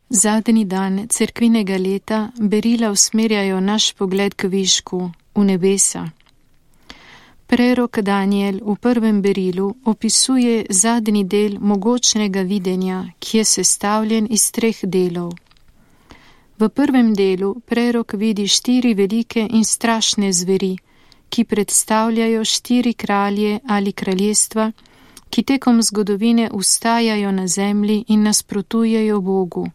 Zadnji dan cerkvinega leta berila usmerjajo naš pogled k višku, v nebesa. Prerok Daniel v prvem berilu opisuje zadnji del mogočnega videnja, ki je sestavljen iz 3 delov. V prvem delu prerok vidi 4 velike in strašne zveri, ki predstavljajo 4 kralje ali kraljestva, ki tekom zgodovine vstajajo na zemlji in nasprotujejo Bogu.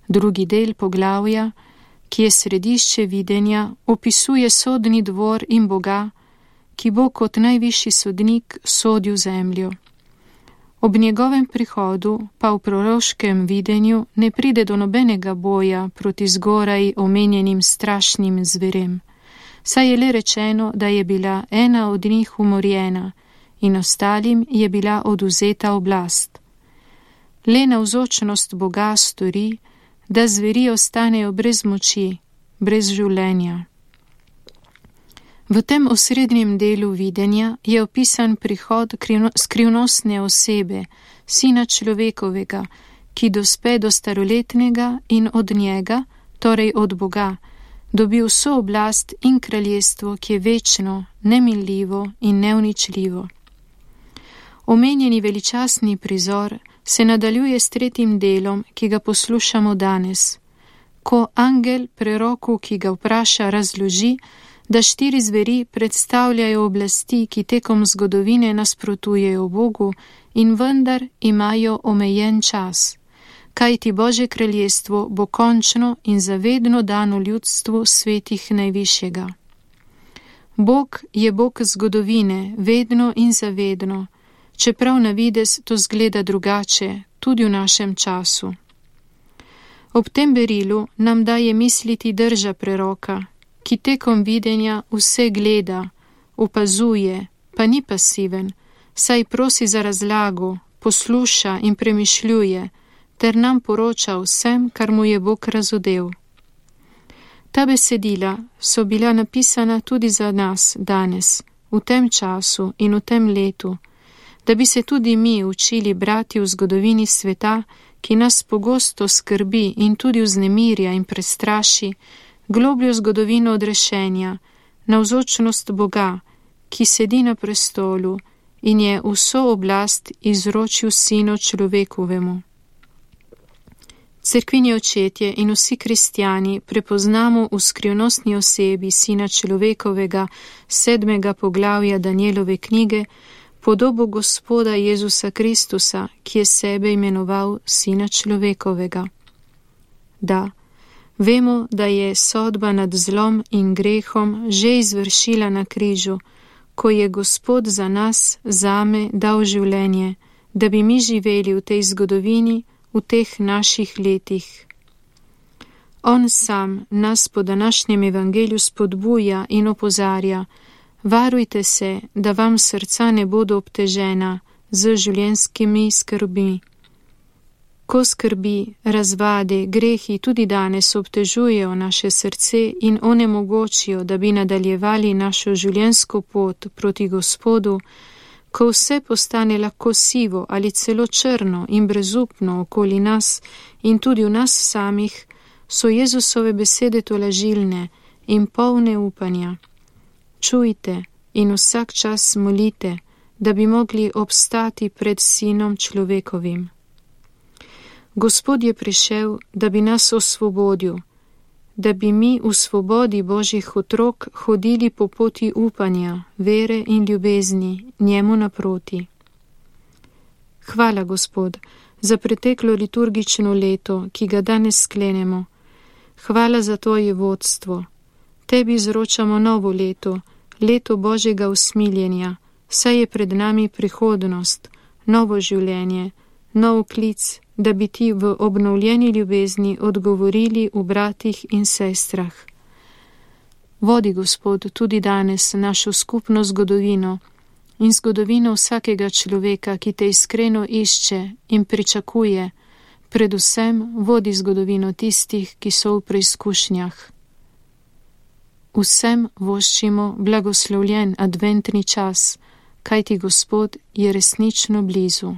Drugi del poglavja, ki je središče videnja, opisuje sodni dvor in Boga, ki bo kot najvišji sodnik sodil zemljo. Ob njegovem prihodu pa v proroškem videnju ne pride do nobenega boja proti zgoraj omenjenim strašnim zverem, saj je le rečeno, da je bila ena od njih umorjena in ostalim je bila odvzeta oblast. Le navzočnost Boga stori, da zveri ostanejo brez moči, brez življenja. V tem osrednjem delu videnja je opisan prihod skrivnostne osebe, Sina človekovega, ki dospe do staroletnega in od njega, torej od Boga, dobi vso oblast in kraljestvo, ki je večno, neminljivo in neuničljivo. Omenjeni veličastni prizor se nadaljuje s 3. delom, ki ga poslušamo danes, ko angel preroku, ki ga vpraša, razloži, da 4 zveri predstavljajo oblasti, ki tekom zgodovine nasprotujejo Bogu in vendar imajo omejen čas, kajti Božje kraljestvo bo končno in zavedno dano ljudstvu svetih najvišjega. Bog je Bog zgodovine, vedno in zavedno, čeprav na videz to zgleda drugače, tudi v našem času. Ob tem berilu nam daje misliti drža preroka, ki tekom videnja vse gleda, opazuje, pa ni pasiven, saj prosi za razlago, posluša in premišljuje, ter nam poroča vsem, kar mu je Bog razodel. Ta besedila so bila napisana tudi za nas danes, v tem času in v tem letu, da bi se tudi mi učili brati v zgodovini sveta, ki nas pogosto skrbi in tudi vznemirja in prestraši, globljo zgodovino odrešenja, navzočnost Boga, ki sedi na prestolu in je vso oblast izročil Sinu človekovemu. Cerkvini očetje in vsi kristjani prepoznamo v skrivnostni osebi Sina človekovega 7. poglavja Danielove knjige podobo Gospoda Jezusa Kristusa, ki je sebe imenoval Sina človekovega. Da, vemo, da je sodba nad zlom in grehom že izvršila na križu, ko je Gospod za nas, zame, dal življenje, da bi mi živeli v tej zgodovini, v teh naših letih. On sam nas po današnjem evangeliju spodbuja in opozarja, varujte se, da vam srca ne bodo obtežena z življenjskimi skrbmi. Ko skrbi, razvade, grehi tudi danes obtežujejo naše srce in onemogočijo, da bi nadaljevali našo življenjsko pot proti Gospodu, ko vse postane lahko sivo ali celo črno in brezupno okoli nas in tudi v nas samih, so Jezusove besede tolažilne in polne upanja. Čujte in vsak čas molite, da bi mogli obstati pred Sinom človekovim. Gospod je prišel, da bi nas osvobodil, da bi mi v svobodi Božjih otrok hodili po poti upanja, vere in ljubezni njemu naproti. Hvala, Gospod, za preteklo liturgično leto, ki ga danes sklenemo. Hvala za Tvoje vodstvo. Tebi izročamo novo leto, leto Božjega usmiljenja, saj je pred nami prihodnost, novo življenje, nov klic, da bi Ti v obnovljeni ljubezni odgovorili v bratih in sestrah. Vodi, Gospod, tudi danes našo skupno zgodovino in zgodovino vsakega človeka, ki Te iskreno išče in pričakuje, predvsem vodi zgodovino tistih, ki so v preizkušnjah. Vsem voščimo blagoslovljen adventni čas, kajti Gospod je resnično blizu.